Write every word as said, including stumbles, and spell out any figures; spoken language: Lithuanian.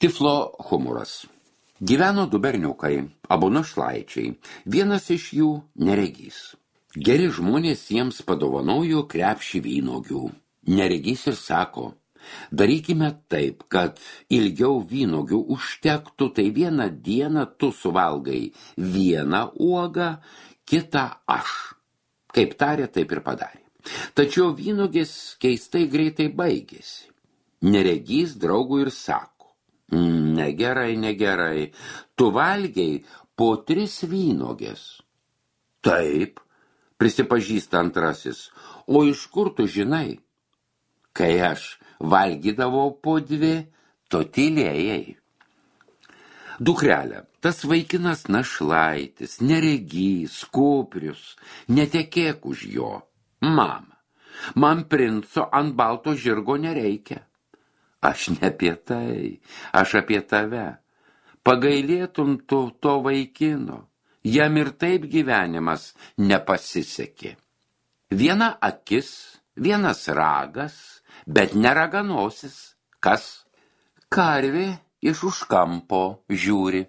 Tiflo humoras. Gyveno du berniukai, abu našlaičiai, vienas iš jų neregys. Geri žmonės jiems padovanojo krepšį vynogių. Neregys ir sako, darykime taip, kad ilgiau vynogių užtektų, tai vieną dieną tu suvalgai vieną uogą, kitą aš. Kaip tarė, taip ir padarė. Tačiau vynogės keistai greitai baigėsi. Neregys draugui ir sako, negerai, negerai, tu valgiai po tris vynogės. Taip, prisipažįsta antrasis, o iš kur tu žinai? Kai aš valgydavau po dvi, tu tylėjai. Dukrelė, tas vaikinas našlaitis, neregys, kuprius, netekėk už jo. Mama, man princo ant balto žirgo nereikia. Aš ne apie tai, aš apie tave. Pagailėtum tu to vaikino, jam ir taip gyvenimas nepasisekė. Viena akis, vienas ragas, bet neraganosis. Kas? Karvė iš už kampo žiūri.